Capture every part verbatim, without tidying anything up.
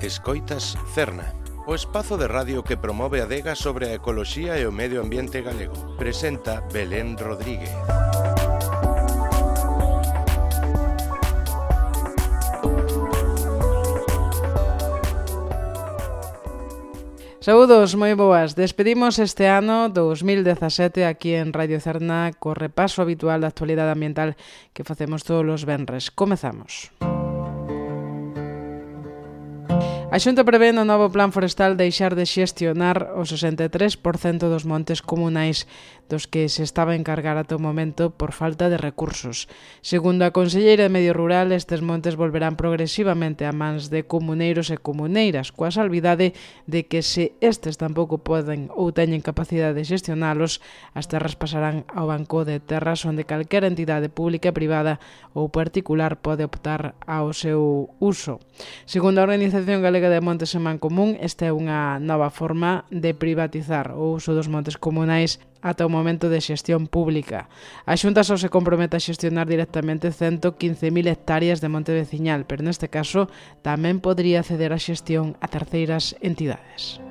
Escoitas Cerna, o espazo de radio que promove a adega sobre a ecoloxía e o medio ambiente galego. Presenta Belén Rodríguez. Saúdos, moi boas. Despedimos este ano dous mil dezasete aquí en Radio Cerna co repaso habitual da actualidade ambiental que facemos todos os venres. Comezamos. A Xunta prevé no novo plan forestal deixar de xestionar o sesenta e tres por cento dos montes comunais dos que se estaba a encargar ata o momento por falta de recursos. Segundo a conselleira de Medio Rural, estes montes volverán progresivamente a mans de comuneiros e comuneiras, coa salvidade de que se estes tampouco poden ou teñen capacidade de xestionalos, as terras pasarán ao banco de terras onde calquera entidade pública, privada ou particular pode optar ao seu uso. Segundo a Organización Galega de Montes en Mancomún, esta é unha nova forma de privatizar o uso dos montes comunais ata o momento de xestión pública. A Xunta só se compromete a xestionar directamente ciento quince mil hectáreas de monte veciñal, pero neste caso tamén podría ceder a xestión a terceiras entidades.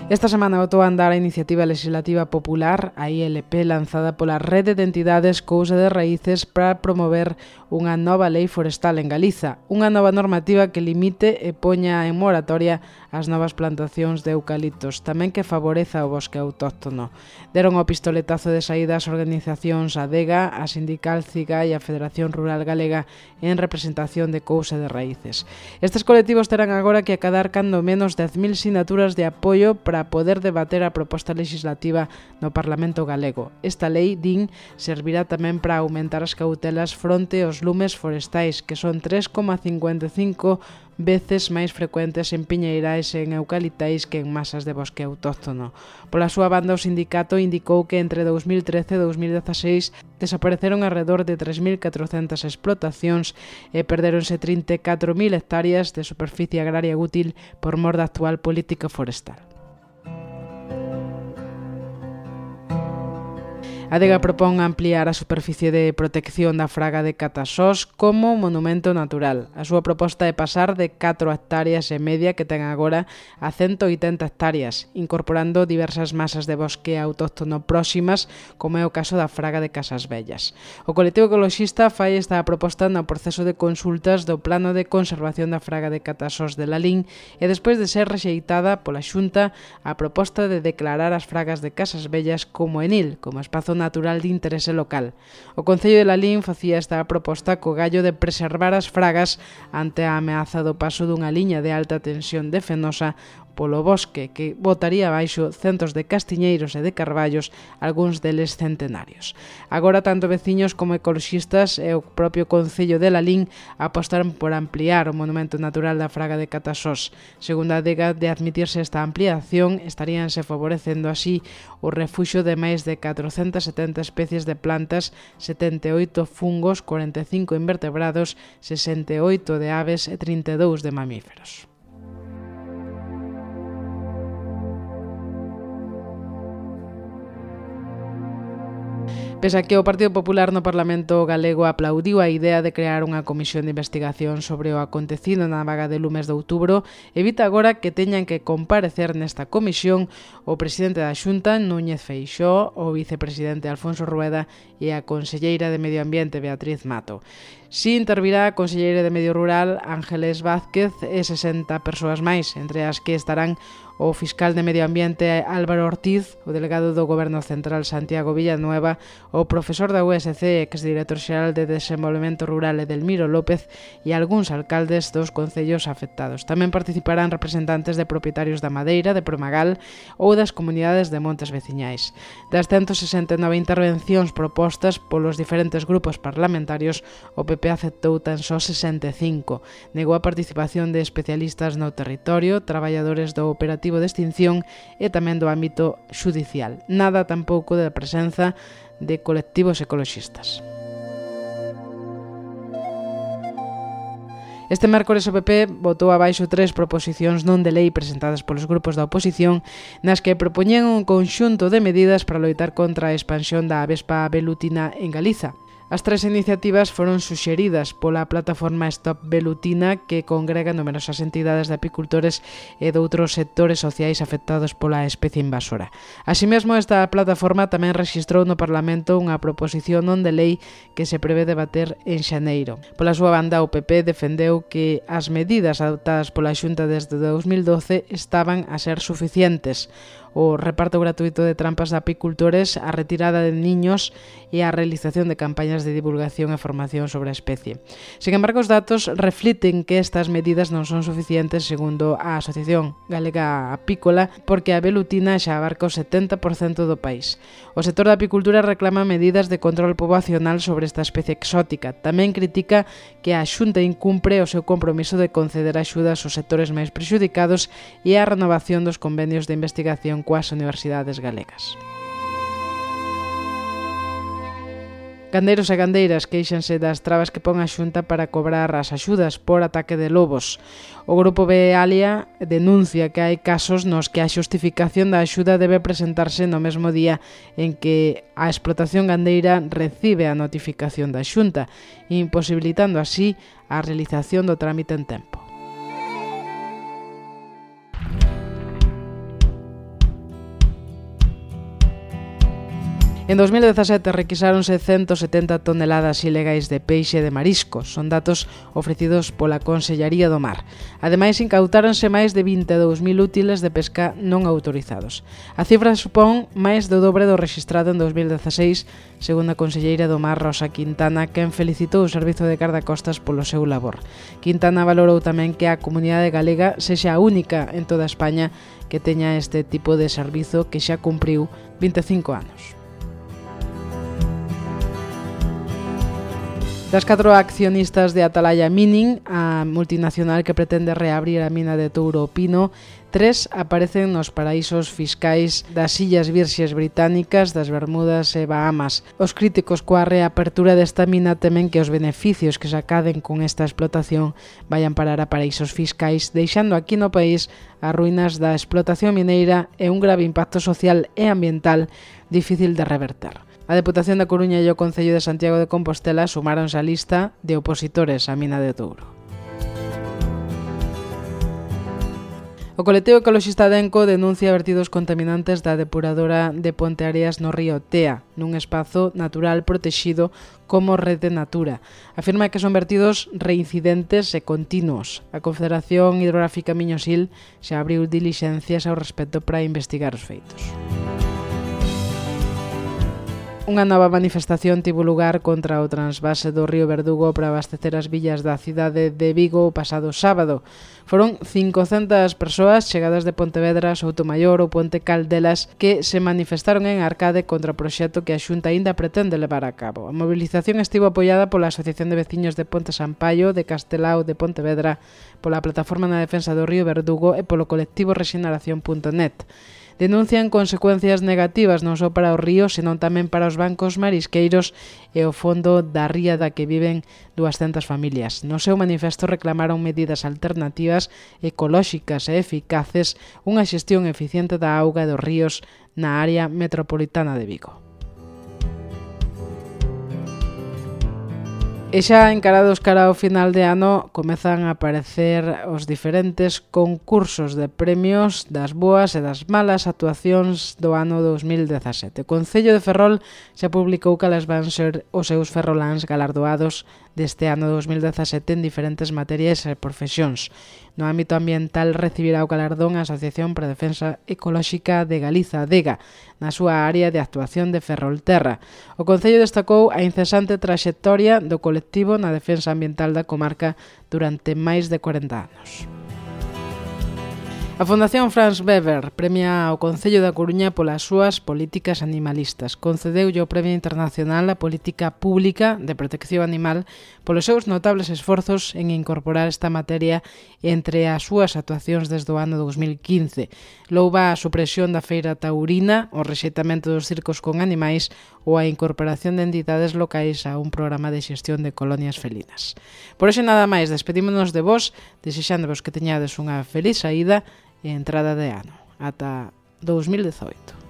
Esta semana botou a andar a Iniciativa Legislativa Popular, a I L P, lanzada pola Rede de Entidades Cousa de Raíces para promover unha nova lei forestal en Galiza, unha nova normativa que limite e poña en moratoria as novas plantacións de eucaliptos, tamén que favoreza o bosque autóctono. Deron o pistoletazo de saída as organizacións ADEGA, a Sindical CIGA e a Federación Rural Galega en representación de Cousa de Raíces. Estes colectivos terán agora que acadar cando menos dez mil sinaturas de apoio para poder debater a proposta legislativa no Parlamento galego. Esta lei, din, servirá tamén para aumentar as cautelas fronte aos lumes forestais, que son tres coma cincuenta e cinco veces máis frecuentes en piñeirais e en eucaliptais que en masas de bosque autóctono. Pola súa banda, o sindicato indicou que entre dous mil trece e dous mil dezaseis desapareceron alrededor de tres mil catrocentas explotacións e perderonse trinta e catro mil hectáreas de superficie agraria útil por mor da actual política forestal. A ADEGA propón ampliar a superficie de protección da fraga de Catasós como monumento natural. A súa proposta é pasar de catro hectáreas e media que ten agora a ciento oitenta hectáreas, incorporando diversas masas de bosque autóctono próximas, como é o caso da fraga de Casas Vellas. O colectivo ecoloxista fai esta proposta no proceso de consultas do Plano de Conservación da fraga de Catasós de Lalín e despois de ser rexeitada pola Xunta a proposta de declarar as fragas de Casas Vellas como enil, como espazo natural de interese local. O Concello de Lalín facía esta proposta co gallo de preservar as fragas ante a ameaza do paso dunha liña de alta tensión de Fenosa polo bosque, que botaría abaixo centos de castiñeiros e de carballos, algúns deles centenarios. Agora, tanto veciños como ecoloxistas e o propio Concello de Lalín apostaron por ampliar o monumento natural da fraga de Catasós. Segundo a ADEGA, de admitirse esta ampliación, estaríanse favorecendo así o refuxo de máis de catrocentas e setenta especies de plantas, setenta e oito fungos, cuarenta e cinco invertebrados, sesenta e oito de aves e trinta e dous de mamíferos. Pese a que o Partido Popular no Parlamento galego aplaudiu a idea de crear unha comisión de investigación sobre o acontecido na vaga de lumes de outubro, evita agora que teñan que comparecer nesta comisión o presidente da Xunta, Núñez Feixóo, o vicepresidente Alfonso Rueda e a conselleira de Medio Ambiente, Beatriz Mato. Si intervirá a conselleira de Medio Rural, Ángeles Vázquez, e sesenta persoas máis, entre as que estarán o fiscal de Medio Ambiente Álvaro Ortiz, o delegado do Goberno Central Santiago Villanueva, o profesor da U S C e exdirector xeral de Desenvolvemento Rural Edelmiro López e algúns alcaldes dos concellos afectados. Tamén participarán representantes de propietarios da madeira, de Promagal ou das comunidades de montes veciñais. Das ciento sesenta e nove intervencións propostas polos diferentes grupos parlamentarios, o P P aceptou tan só sesenta e cinco. Negou a participación de especialistas no territorio, traballadores do operativo de extinción e tamén do ámbito xudicial. Nada tampouco da presenza de colectivos ecoloxistas. Este mércores o P P votou abaixo tres proposicións non de lei presentadas polos grupos da oposición nas que propoñían un conxunto de medidas para loitar contra a expansión da avespa velutina en Galiza. As tres iniciativas foron suxeridas pola plataforma Stop Velutina, que congrega numerosas entidades de apicultores e de outros sectores sociais afectados pola especie invasora. Así mesmo, esta plataforma tamén rexistrou no Parlamento unha proposición non de lei que se prevé debater en xaneiro. Pola súa banda, o P P defendeu que as medidas adoptadas pola Xunta desde dous mil doce estaban a ser suficientes: o reparto gratuito de trampas de apicultores, a retirada de niños e a realización de campañas de divulgación e formación sobre a especie. Sin embargo, os datos refliten que estas medidas non son suficientes, segundo a Asociación Galega Apícola, porque a velutina xa abarca o setenta por cento do país. O sector da apicultura reclama medidas de control poboacional sobre esta especie exótica. Tamén critica que a Xunta incumpre o seu compromiso de conceder axudas aos sectores máis prexudicados e a renovación dos convenios de investigación coas universidades galegas. Gandeiros e gandeiras queixanse das trabas que pon a Xunta para cobrar as axudas por ataque de lobos. O grupo Bealia denuncia que hai casos nos que a xustificación da axuda debe presentarse no mesmo día en que a explotación gandeira recibe a notificación da Xunta, imposibilitando así a realización do trámite en tempo. En dos mil dezasete requisáronse ciento setenta toneladas ilegais de peixe e de mariscos. Son datos ofrecidos pola Consellaría do Mar. Ademais, incautáronse máis de vinte e dous mil útiles de pesca non autorizados. A cifra supón máis do dobre do rexistrado en dos mil dezaseis, segundo a conselleira do Mar, Rosa Quintana, quen felicitou o Servizo de Gardacostas polo seu labor. Quintana valorou tamén que a comunidade galega sexa a única en toda España que teña este tipo de servizo, que xa cumpriu vinte e cinco anos. Das catro accionistas de Atalaya Mining, a multinacional que pretende reabrir a mina de Touro o Pino, tres aparecen nos paraísos fiscais das Illas Virxes Británicas, das Bermudas e Bahamas. Os críticos coa reapertura desta mina temen que os beneficios que se acaden con esta explotación vayan parar a paraísos fiscais, deixando aquí no país as ruínas da explotación mineira e un grave impacto social e ambiental difícil de reverter. A Deputación da Coruña e o Concello de Santiago de Compostela sumáronse á lista de opositores á mina de Touro. O colectivo ecoloxista Denco denuncia vertidos contaminantes da depuradora de Ponteareas no río Tea, nun espazo natural protexido como Rede Natura. Afirma que son vertidos reincidentes e continuos. A Confederación Hidrográfica Miño-Sil xa abriu dilixencias ao respecto para investigar os feitos. Unha nova manifestación tivo lugar contra o transvase do río Verdugo para abastecer as villas da cidade de Vigo o pasado sábado. Foron cincocentas persoas chegadas de Pontevedra, Soutomaior ou Ponte Caldelas que se manifestaron en Arcade contra o proxecto que a Xunta aínda pretende levar a cabo. A mobilización estivo apoiada pola Asociación de Veciños de Ponte Sampaio, de Castelao de Pontevedra, pola Plataforma na Defensa do río Verdugo e polo colectivo rexeneración punto net. Denuncian consecuencias negativas non só para o río, senón tamén para os bancos marisqueiros e o fondo da ría da que viven duascentas familias. No seu manifesto reclamaron medidas alternativas, ecolóxicas e eficaces, unha xestión eficiente da auga e dos ríos na área metropolitana de Vigo. E xa encarados cara ao final de ano comezan a aparecer os diferentes concursos de premios das boas e das malas actuacións do ano dos mil dezasete. O Concello de Ferrol xa publicou cales van ser os seus ferroláns galardoados deste ano dos mil dezasete en diferentes materias e profesións. No ámbito ambiental recibirá o galardón a Asociación para a Defensa Ecolóxica de Galiza, ADEGA, na súa área de actuación de Ferrolterra. O Concello destacou a incesante traxectoria do colectivo na defensa ambiental da comarca durante máis de corenta anos. A Fundación Franz Weber premia ao Concello da Coruña polas súas políticas animalistas. Concedeulle o Premio Internacional a Política Pública de Protección Animal polos seus notables esforzos en incorporar esta materia entre as súas actuacións desde o ano dos mil quince. Louva a supresión da feira taurina, o rexeitamento dos circos con animais ou a incorporación de entidades locais a un programa de xestión de colonias felinas. Por hoxe nada máis, despedímonos de vos, desexándovos que teñades unha feliz saída e entrada de ano. Ata dos mil dezoito.